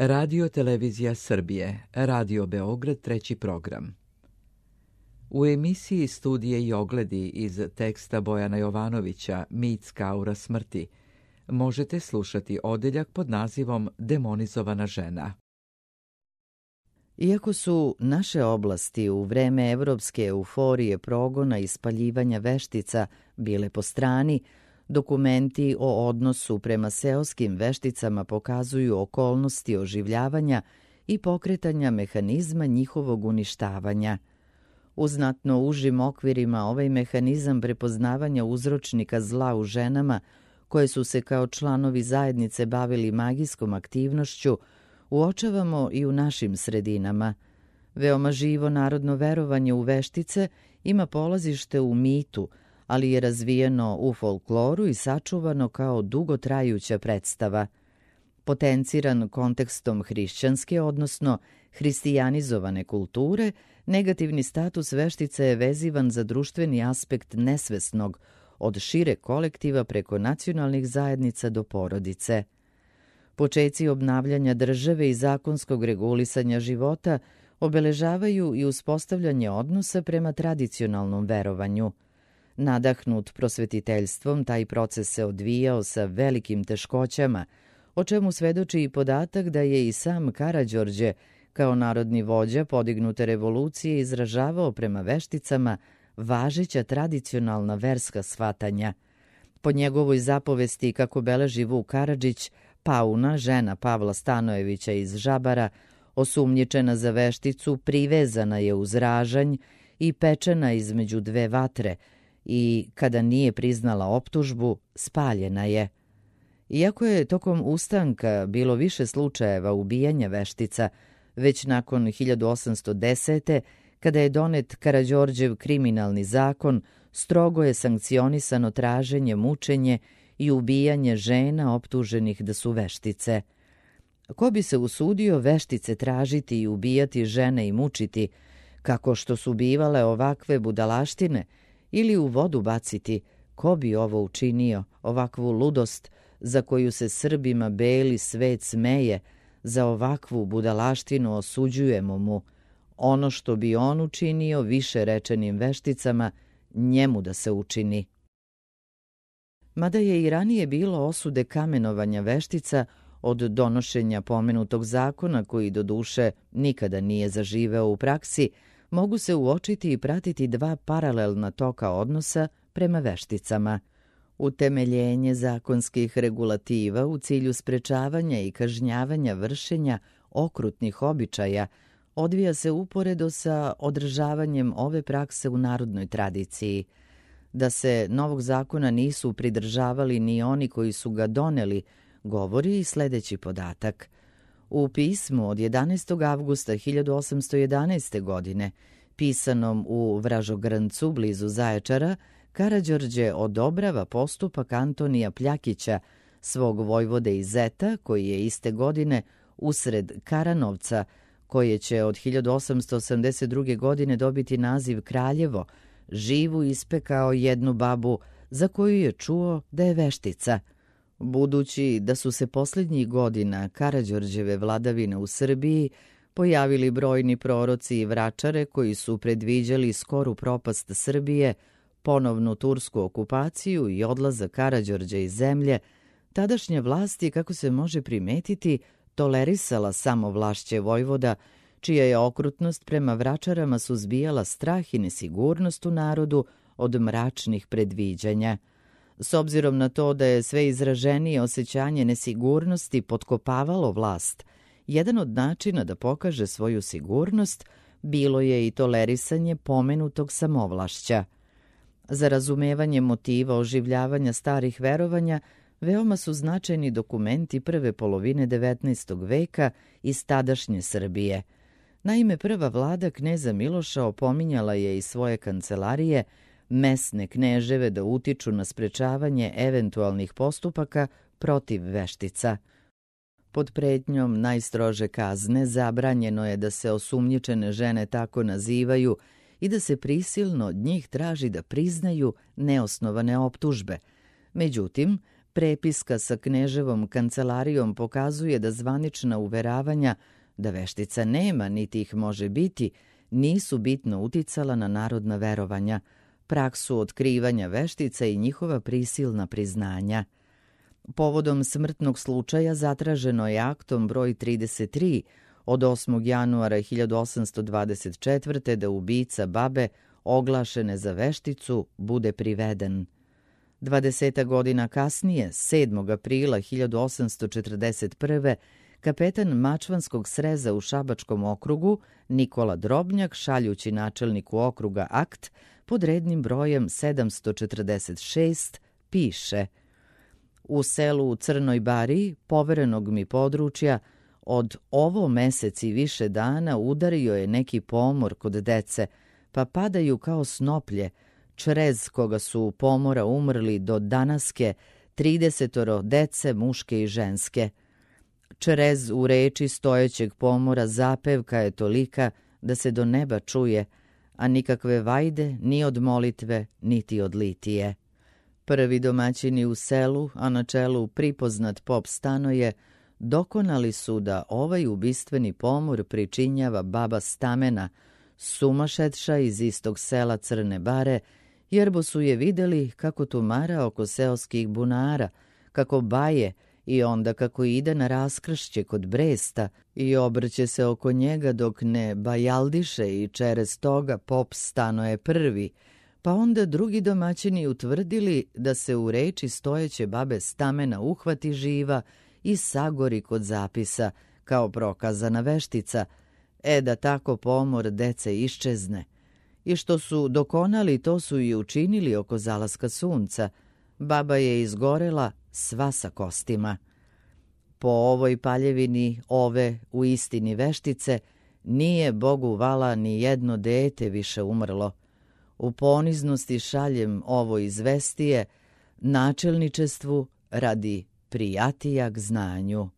Radio Televizija Srbije, Radio Beograd, treći program. U emisiji Studije i ogledi iz teksta Bojana Jovanovića Mitska aura smrti možete slušati odeljak pod nazivom Demonizovana žena. Iako su naše oblasti u vreme evropske euforije progona i spaljivanja veštica bile po strani, dokumenti o odnosu prema seoskim vešticama pokazuju okolnosti oživljavanja i pokretanja mehanizma njihovog uništavanja. U znatno užim okvirima ovaj mehanizam prepoznavanja uzročnika zla u ženama, koje su se kao članovi zajednice bavili magijskom aktivnošću, uočavamo i u našim sredinama. Veoma živo narodno verovanje u veštice ima polazište u mitu, ali je razvijeno u folkloru i sačuvano kao dugotrajuća predstava. Potenciran kontekstom hrišćanske, odnosno hristijanizovane kulture, negativni status veštice je vezivan za društveni aspekt nesvesnog, od šire kolektiva preko nacionalnih zajednica do porodice. Počeci obnavljanja države i zakonskog regulisanja života obeležavaju i uspostavljanje odnosa prema tradicionalnom verovanju. Nadahnut prosvetiteljstvom, taj proces se odvijao sa velikim teškoćama, o čemu svedoči i podatak da je i sam Karađorđe, kao narodni vođa podignute revolucije, izražavao prema vešticama važeća tradicionalna verska shvatanja. Po njegovoj zapovesti, kako beleži Vuk Karadžić, Pauna, žena Pavla Stanojevića iz Žabara, osumnjičena za vešticu, privezana je uz ražanj i pečena između dve vatre i, kada nije priznala optužbu, spaljena je. Iako je tokom ustanka bilo više slučajeva ubijanja veštica, već nakon 1810. kada je donet Karađorđev kriminalni zakon, strogo je sankcionisano traženje, mučenje i ubijanje žena optuženih da su veštice. Ko bi se usudio veštice tražiti i ubijati žene i mučiti, kako što su bivale ovakve budalaštine, ili u vodu baciti, ko bi ovo učinio, ovakvu ludost za koju se Srbima beli svet smeje, za ovakvu budalaštinu osuđujemo mu, ono što bi on učinio više rečenim vešticama, njemu da se učini. Mada je i ranije bilo osude kamenovanja veštica od donošenja pomenutog zakona, koji doduše nikada nije zaživeo u praksi, mogu se uočiti i pratiti dva paralelna toka odnosa prema vešticama. Utemeljenje zakonskih regulativa u cilju sprečavanja i kažnjavanja vršenja okrutnih običaja odvija se uporedo sa održavanjem ove prakse u narodnoj tradiciji. Da se novog zakona nisu pridržavali ni oni koji su ga doneli, govori i sledeći podatak. U pismu od 11. avgusta 1811. godine, pisanom u Vražogrncu blizu Zaječara, Karađorđe odobrava postupak Antonija Pljakića, svog vojvode iz Zeta, koji je iste godine usred Karanovca, koje će od 1882. godine dobiti naziv Kraljevo, živu ispekao jednu babu za koju je čuo da je veštica. Budući da su se posljednjih godina Karađorđeve vladavine u Srbiji pojavili brojni proroci i vračare koji su predviđali skoru propast Srbije, ponovnu tursku okupaciju i odlazak Karađorđa iz zemlje, tadašnja vlast je, kako se može primetiti, tolerisala samovlašće vojvoda, čija je okrutnost prema vračarama suzbijala strah i nesigurnost u narodu od mračnih predviđanja. S obzirom na to da je sve izraženije osjećanje nesigurnosti potkopavalo vlast, jedan od načina da pokaže svoju sigurnost bilo je i tolerisanje pomenutog samovlašća. Za razumevanje motiva oživljavanja starih verovanja veoma su značajni dokumenti prve polovine 19. veka iz tadašnje Srbije. Naime, prva vlada kneza Miloša opominjala je iz svoje kancelarije mesne kneževe da utiču na sprečavanje eventualnih postupaka protiv veštica. Pod pretnjom najstrože kazne zabranjeno je da se osumnjičene žene tako nazivaju i da se prisilno od njih traži da priznaju neosnovane optužbe. Međutim, prepiska sa kneževom kancelarijom pokazuje da zvanična uveravanja da veštica nema niti ih može biti, nisu bitno uticala na narodna verovanja, praksu otkrivanja veštica i njihova prisilna priznanja. Povodom smrtnog slučaja zatraženo je aktom broj 33 od 8. januara 1824. da ubica babe oglašene za vešticu bude priveden. 20 godina kasnije, 7. aprila 1841. kapetan Mačvanskog sreza u Šabačkom okrugu Nikola Drobnjak, šaljući načelniku okruga akt pod rednim brojem 746, piše: U selu u Crnoj Bari, poverenog mi područja, od ovo meseci više dana udario je neki pomor kod dece, pa padaju kao snoplje, črez koga su pomora umrli do danaske 30 dece muške i ženske. Črez u reči stojećeg pomora zapevka je tolika da se do neba čuje, a nikakve vajde ni od molitve niti od litije. Prvi domaćini u selu, a na čelu pripoznat pop Stanoje, dokonali su da ovaj ubistveni pomor pričinjava baba Stamena, sumašetša iz istog sela Crne Bare, jerbo su je videli kako tumara oko seoskih bunara, kako baje i onda kako ide na raskršće kod Bresta i obrće se oko njega dok ne bajaldiše i čerez toga pop Stanoje prvi, pa onda drugi domaćini utvrdili da se u reči stojeće babe Stamena uhvati živa i sagori kod zapisa, kao prokazana veštica, da tako pomor dece iščezne. I što su dokonali, to su i učinili oko zalaska sunca. Baba je izgorela sva sa kostima. Po ovoj paljevini ove u istini veštice nije Bogu vala ni jedno dete više umrlo. U poniznosti šaljem ovo izvestije načelničestvu radi prijatija k znanju.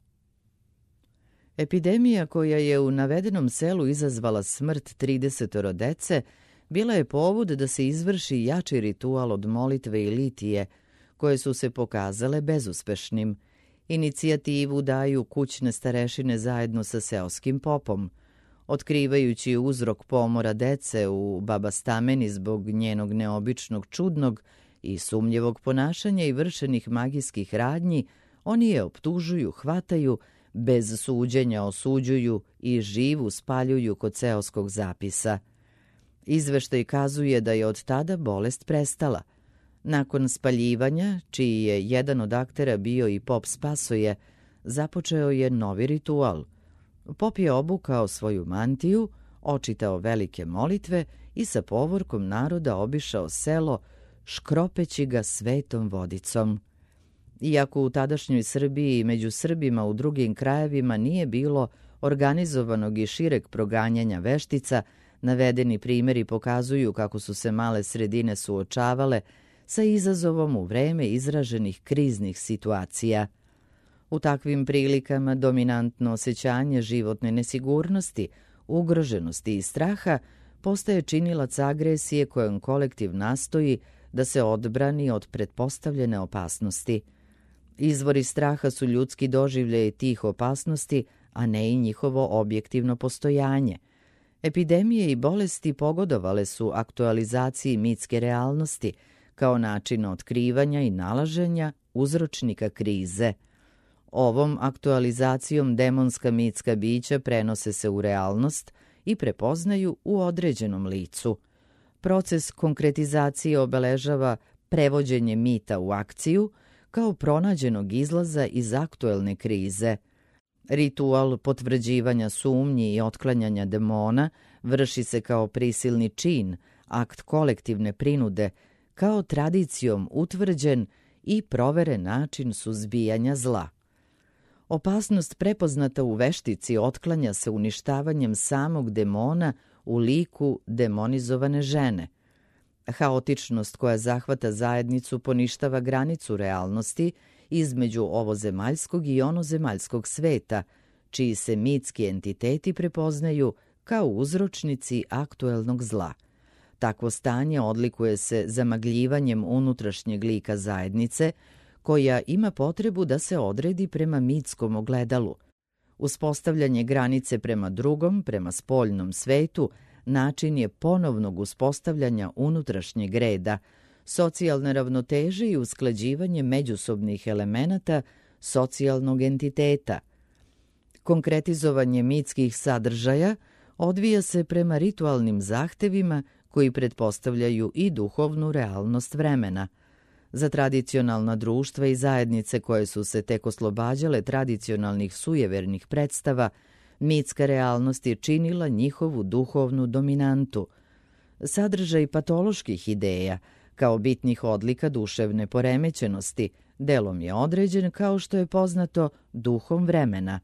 Epidemija koja je u navedenom selu izazvala smrt 30 dece bila je povod da se izvrši jači ritual od molitve i litije, koje su se pokazale bezuspešnim. Inicijativu daju kućne starešine zajedno sa seoskim popom. Otkrivajući uzrok pomora dece u baba Stameni zbog njenog neobičnog, čudnog i sumnjivog ponašanja i vršenih magijskih radnji, oni je optužuju, hvataju, bez suđenja osuđuju i živu spaljuju kod seoskog zapisa. Izveštaj kazuje da je od tada bolest prestala. Nakon spaljivanja, čiji je jedan od aktera bio i pop Spasoje, započeo je novi ritual. Pop je obukao svoju mantiju, očitao velike molitve i sa povorkom naroda obišao selo, škropeći ga svetom vodicom. Iako u tadašnjoj Srbiji i među Srbima u drugim krajevima nije bilo organizovanog i šireg proganjanja veštica, navedeni primjeri pokazuju kako su se male sredine suočavale sa izazovom u vreme izraženih kriznih situacija. U takvim prilikama dominantno osjećanje životne nesigurnosti, ugroženosti i straha postaje činilac agresije kojom kolektiv nastoji da se odbrani od pretpostavljene opasnosti. Izvori straha su ljudski doživljaj tih opasnosti, a ne i njihovo objektivno postojanje. Epidemije i bolesti pogodovale su aktualizaciji mitske realnosti kao način otkrivanja i nalaženja uzročnika krize. Ovom aktualizacijom demonska mitska bića prenose se u realnost i prepoznaju u određenom licu. Proces konkretizacije obeležava prevođenje mita u akciju kao pronađenog izlaza iz aktuelne krize. Ritual potvrđivanja sumnji i otklanjanja demona vrši se kao prisilni čin, akt kolektivne prinude, kao tradicijom utvrđen i proveren način suzbijanja zla. Opasnost prepoznata u veštici otklanja se uništavanjem samog demona u liku demonizovane žene. Haotičnost koja zahvata zajednicu poništava granicu realnosti između ovozemaljskog i onozemaljskog sveta, čiji se mitski entiteti prepoznaju kao uzročnici aktuelnog zla. Takvo stanje odlikuje se zamagljivanjem unutrašnjeg lika zajednice, koja ima potrebu da se odredi prema mitskom ogledalu. Uspostavljanje granice prema drugom, prema spoljnom svetu, način je ponovnog uspostavljanja unutrašnjeg reda, socijalne ravnoteže i usklađivanje međusobnih elemenata socijalnog entiteta. Konkretizovanje mitskih sadržaja odvija se prema ritualnim zahtevima koji pretpostavljaju i duhovnu realnost vremena. Za tradicionalna društva i zajednice koje su se tek oslobađale tradicionalnih sujevernih predstava, mitska realnost je činila njihovu duhovnu dominantu. Sadržaj patoloških ideja, kao bitnih odlika duševne poremećenosti, delom je određen, kao što je poznato, duhom vremena.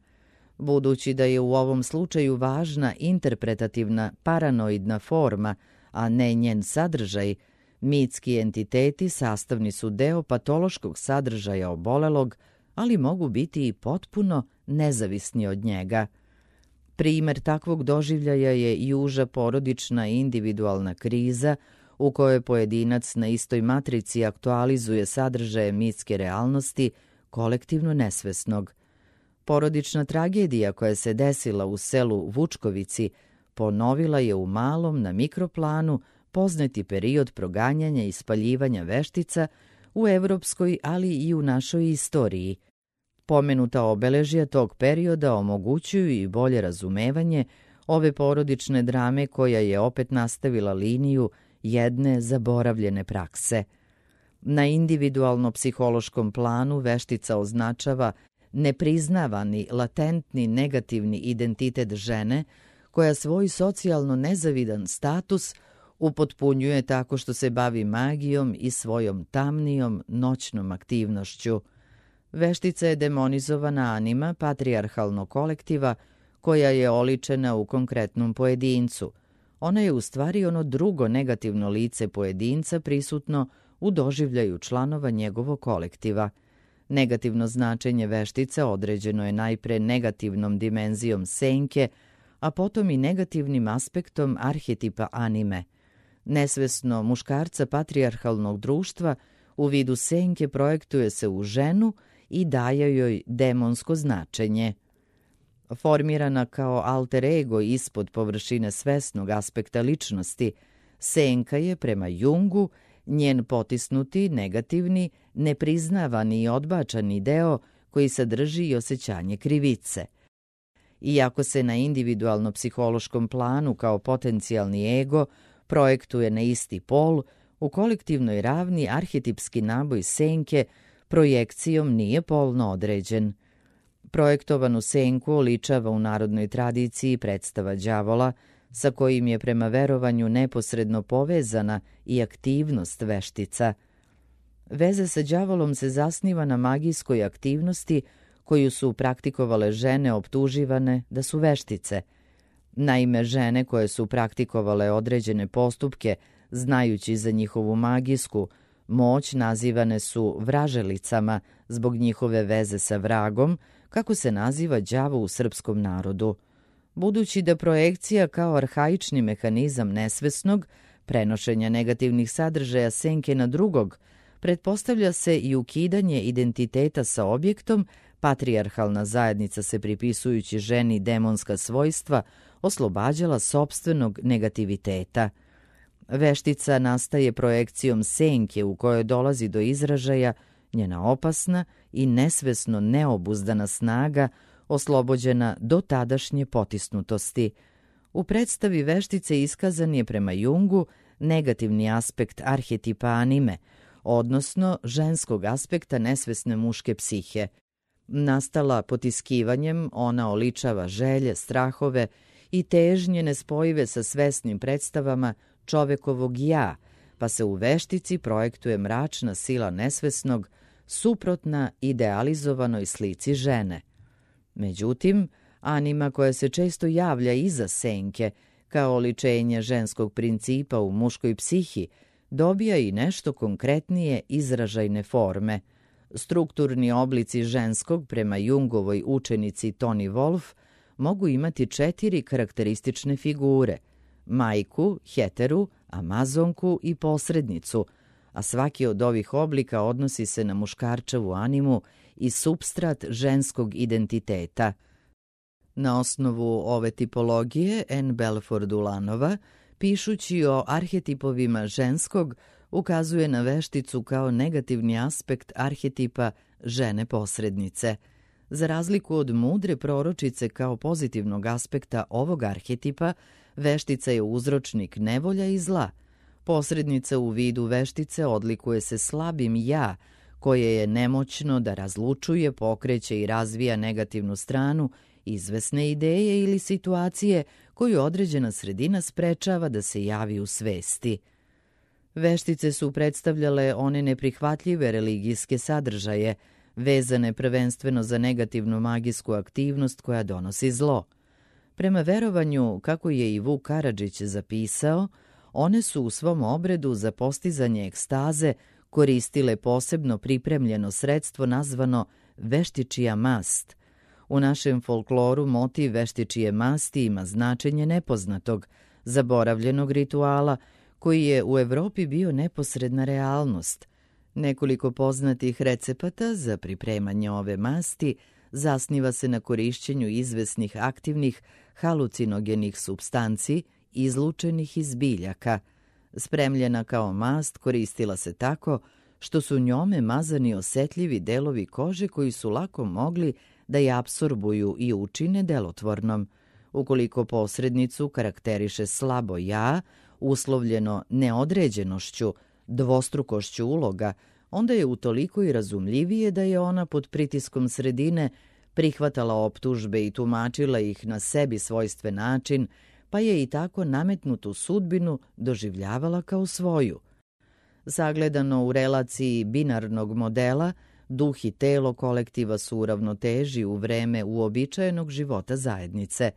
Budući da je u ovom slučaju važna interpretativna paranoidna forma, a ne njen sadržaj, mitski entiteti sastavni su deo patološkog sadržaja obolelog, ali mogu biti i potpuno nezavisni od njega. Primer takvog doživljaja je i uža porodična i individualna kriza u kojoj pojedinac na istoj matrici aktualizuje sadržaje mitske realnosti kolektivno nesvesnog. Porodična tragedija koja se desila u selu Vučkovici ponovila je u malom na mikroplanu poznati period proganjanja i spaljivanja veštica u evropskoj, ali i u našoj istoriji. Pomenuta obeležja tog perioda omogućuju i bolje razumevanje ove porodične drame koja je opet nastavila liniju jedne zaboravljene prakse. Na individualno-psihološkom planu veštica označava nepriznavani, latentni, negativni identitet žene koja svoj socijalno nezavidan status upotpunjuje tako što se bavi magijom i svojom tamnijom noćnom aktivnošću. Veštica je demonizovana anima patrijarhalnog kolektiva koja je oličena u konkretnom pojedincu. Ona je u stvari ono drugo negativno lice pojedinca prisutno u doživljaju članova njegovog kolektiva. Negativno značenje veštice određeno je najpre negativnom dimenzijom senke, a potom i negativnim aspektom arhetipa anime. Nesvesno muškarca patrijarhalnog društva u vidu senke projektuje se u ženu i daje joj demonsko značenje. Formirana kao alter ego ispod površine svesnog aspekta ličnosti, senka je prema Jungu njen potisnuti, negativni, nepriznavani i odbačani deo koji sadrži i osjećanje krivice. Iako se na individualno-psihološkom planu kao potencijalni ego projektuje na isti pol, u kolektivnoj ravni arhetipski naboj senke projekcijom nije polno određen. Projektovanu senku oličava u narodnoj tradiciji predstava đavola, sa kojim je prema verovanju neposredno povezana i aktivnost veštica. Veza sa đavolom se zasniva na magijskoj aktivnosti koju su praktikovale žene optuživane da su veštice. Naime, žene koje su praktikovale određene postupke, znajući za njihovu magijsku moć, nazivane su vraželicama zbog njihove veze sa vragom, kako se naziva đavo u srpskom narodu. Budući da projekcija kao arhaični mehanizam nesvesnog, prenošenja negativnih sadržaja senke na drugog, pretpostavlja se i ukidanje identiteta sa objektom, patrijarhalna zajednica se pripisujući ženi demonska svojstva oslobađala sopstvenog negativiteta. Veštica nastaje projekcijom senke u kojoj dolazi do izražaja njena opasna i nesvesno neobuzdana snaga oslobođena do tadašnje potisnutosti. U predstavi veštice iskazan je prema Jungu negativni aspekt arhetipa anime, odnosno ženskog aspekta nesvesne muške psihe. Nastala potiskivanjem, ona oličava želje, strahove i težnje nespojive sa svesnim predstavama čovekovog ja, pa se u veštici projektuje mračna sila nesvesnog, suprotna idealizovanoj slici žene. Međutim, anima koja se često javlja iza senke, kao oličenje ženskog principa u muškoj psihi, dobija i nešto konkretnije izražajne forme. Strukturni oblici ženskog prema Jungovoj učenici Toni Wolf mogu imati 4 karakteristične figure: majku, heteru, amazonku i posrednicu, a svaki od ovih oblika odnosi se na muškarčevu animu i supstrat ženskog identiteta. Na osnovu ove tipologije N. Belford Ulanova, pišući o arhetipovima ženskog, ukazuje na vešticu kao negativni aspekt arhetipa žene posrednice. Za razliku od mudre proročice kao pozitivnog aspekta ovog arhetipa, veštica je uzročnik nevolja i zla. Posrednica u vidu veštice odlikuje se slabim ja, koje je nemoćno da razlučuje, pokreće i razvija negativnu stranu izvesne ideje ili situacije koju određena sredina sprečava da se javi u svesti. Veštice su predstavljale one neprihvatljive religijske sadržaje, vezane prvenstveno za negativnu magijsku aktivnost koja donosi zlo. Prema verovanju, kako je i Vuk Karadžić zapisao, one su u svom obredu za postizanje ekstaze koristile posebno pripremljeno sredstvo nazvano veštičija mast. U našem folkloru motiv veštičije masti ima značenje nepoznatog, zaboravljenog rituala, koji je u Evropi bio neposredna realnost. Nekoliko poznatih recepata za pripremanje ove masti zasniva se na korišćenju izvesnih aktivnih halucinogenih supstanci izlučenih iz biljaka. Spremljena kao mast koristila se tako što su njome mazani osetljivi delovi kože koji su lako mogli da je apsorbuju i učine delotvornom. Ukoliko posrednicu karakteriše slabo ja, uslovljeno neodređenošću, dvostrukošću uloga, onda je utoliko i razumljivije da je ona pod pritiskom sredine prihvatala optužbe i tumačila ih na sebi svojstven način, pa je i tako nametnutu sudbinu doživljavala kao svoju. Sagledano u relaciji binarnog modela, duh i telo kolektiva su u ravnoteži u vreme uobičajenog života zajednice.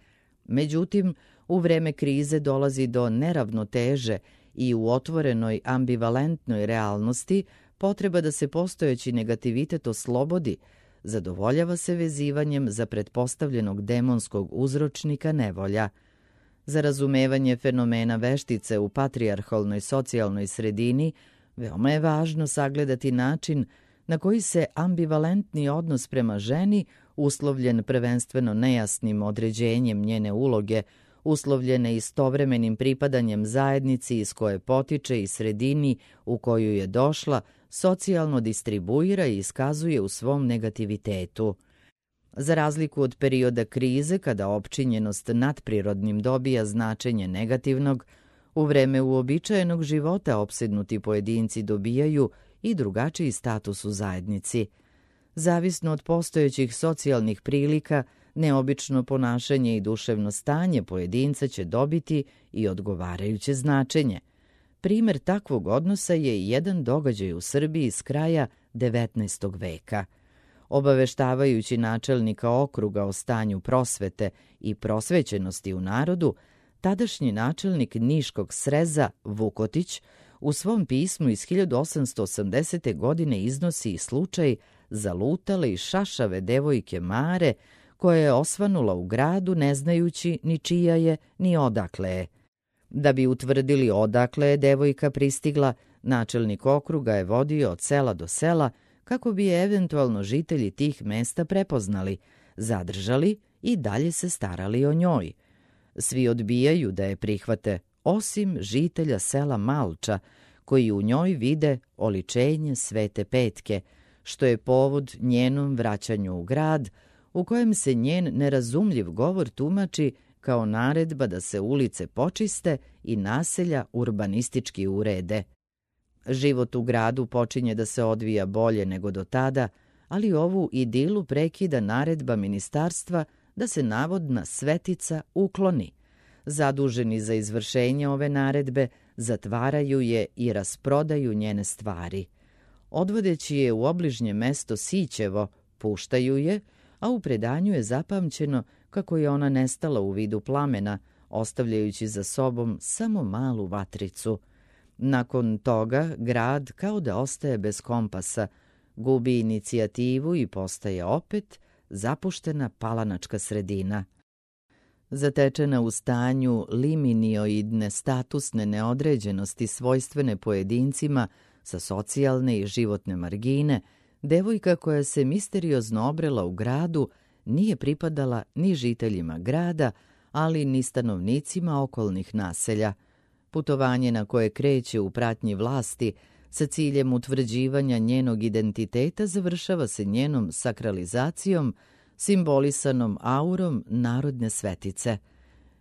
Međutim, u vreme krize dolazi do neravnoteže i u otvorenoj ambivalentnoj realnosti potreba da se postojeći negativitet oslobodi, zadovoljava se vezivanjem za pretpostavljenog demonskog uzročnika nevolja. Za razumevanje fenomena veštice u patrijarhalnoj socijalnoj sredini veoma je važno sagledati način na koji se ambivalentni odnos prema ženi, uslovljen prvenstveno nejasnim određenjem njene uloge, uslovljene istovremenim pripadanjem zajednici iz koje potiče i sredini u koju je došla, socijalno distribuira i iskazuje u svom negativitetu. Za razliku od perioda krize, kada opčinjenost nadprirodnim dobija značenje negativnog, u vreme uobičajenog života opsednuti pojedinci dobijaju i drugačiji status u zajednici. Zavisno od postojećih socijalnih prilika, neobično ponašanje i duševno stanje pojedinca će dobiti i odgovarajuće značenje. Primer takvog odnosa je jedan događaj u Srbiji s kraja 19. veka. Obaveštavajući načelnika okruga o stanju prosvete i prosvećenosti u narodu, tadašnji načelnik Niškog sreza Vukotić u svom pismu iz 1880. godine iznosi slučaj zalutale i šašave devojke Mare, koja je osvanula u gradu ne znajući ni čija je ni odakle je. Da bi utvrdili odakle je devojka pristigla, načelnik okruga je vodio od sela do sela kako bi je eventualno žitelji tih mesta prepoznali, zadržali i dalje se starali o njoj. Svi odbijaju da je prihvate, osim žitelja sela Malča, koji u njoj vide oličenje Svete Petke, što je povod njenom vraćanju u grad, u kojem se njen nerazumljiv govor tumači kao naredba da se ulice počiste i naselja urbanistički urede. Život u gradu počinje da se odvija bolje nego do tada, ali ovu idilu prekida naredba ministarstva da se navodna svetica ukloni. Zaduženi za izvršenje ove naredbe zatvaraju je i rasprodaju njene stvari. Odvodeći je u obližnje mesto Sićevo, puštaju je, a u predanju je zapamćeno kako je ona nestala u vidu plamena, ostavljajući za sobom samo malu vatricu. Nakon toga grad kao da ostaje bez kompasa, gubi inicijativu i postaje opet zapuštena palanačka sredina. Zatečena u stanju liminioidne statusne neodređenosti svojstvene pojedincima Sa socijalne i životne margine, devojka koja se misteriozno obrela u gradu nije pripadala ni žiteljima grada, ali ni stanovnicima okolnih naselja. Putovanje na koje kreće u pratnji vlasti sa ciljem utvrđivanja njenog identiteta završava se njenom sakralizacijom, simbolisanom aurom narodne svetice.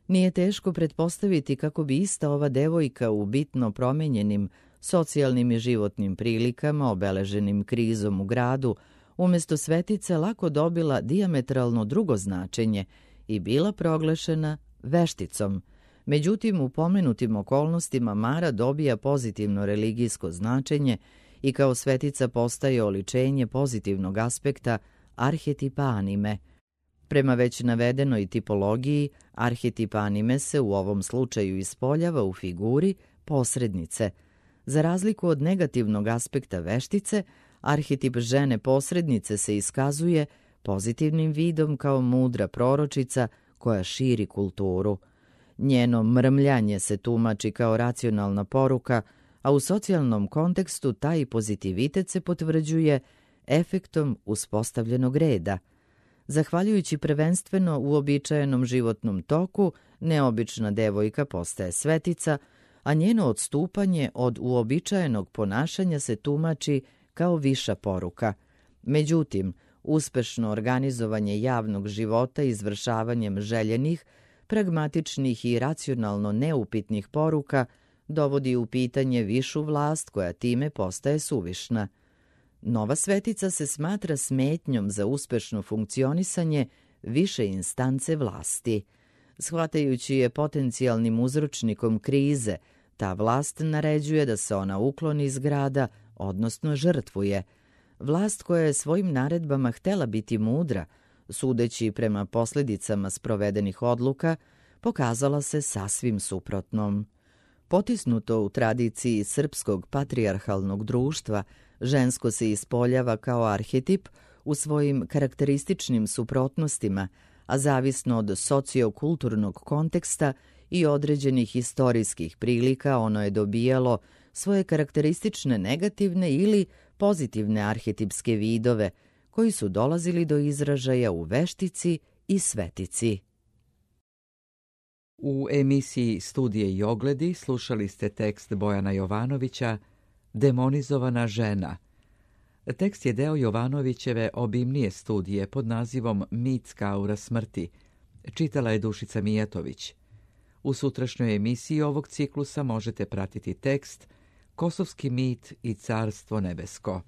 Nije teško pretpostaviti kako bi ista ova devojka u bitno promenjenim socijalnim i životnim prilikama, obeleženim krizom u gradu, umjesto svetice lako dobila dijametralno drugo značenje i bila proglašena vešticom. Međutim, u pomenutim okolnostima Mara dobija pozitivno religijsko značenje i kao svetica postaje oličenje pozitivnog aspekta arhetipa anime. Prema već navedenoj tipologiji, arhetip anime se u ovom slučaju ispoljava u figuri posrednice. Za razliku od negativnog aspekta veštice, arhetip žene posrednice se iskazuje pozitivnim vidom kao mudra proročica koja širi kulturu. Njeno mrmljanje se tumači kao racionalna poruka, a u socijalnom kontekstu taj pozitivitet se potvrđuje efektom uspostavljenog reda. Zahvaljujući prvenstveno uobičajenom životnom toku, neobična devojka postaje svetica, a njeno odstupanje od uobičajenog ponašanja se tumači kao viša poruka. Međutim, uspešno organizovanje javnog života izvršavanjem željenih, pragmatičnih i racionalno neupitnih poruka dovodi u pitanje višu vlast koja time postaje suvišna. Nova svetica se smatra smetnjom za uspešno funkcionisanje više instance vlasti. Shvatajući je potencijalnim uzročnikom krize, ta vlast naređuje da se ona ukloni iz grada, odnosno žrtvuje. Vlast koja je svojim naredbama htela biti mudra, sudeći prema posljedicama sprovedenih odluka, pokazala se sasvim suprotnom. Potisnuto u tradiciji srpskog patrijarhalnog društva, žensko se ispoljava kao arhetip u svojim karakterističnim suprotnostima, a zavisno od sociokulturnog konteksta i određenih historijskih prilika ono je dobijalo svoje karakteristične negativne ili pozitivne arhetipske vidove, koji su dolazili do izražaja u veštici i svetici. U emisiji Studije i ogledi slušali ste tekst Bojana Jovanovića Demonizovana žena. Tekst je deo Jovanovićeve obimnije studije pod nazivom Mitska aura smrti. Čitala je Dušica Mijatović. U sutrašnjoj emisiji ovog ciklusa možete pratiti tekst Kosovski mit i carstvo nebesko.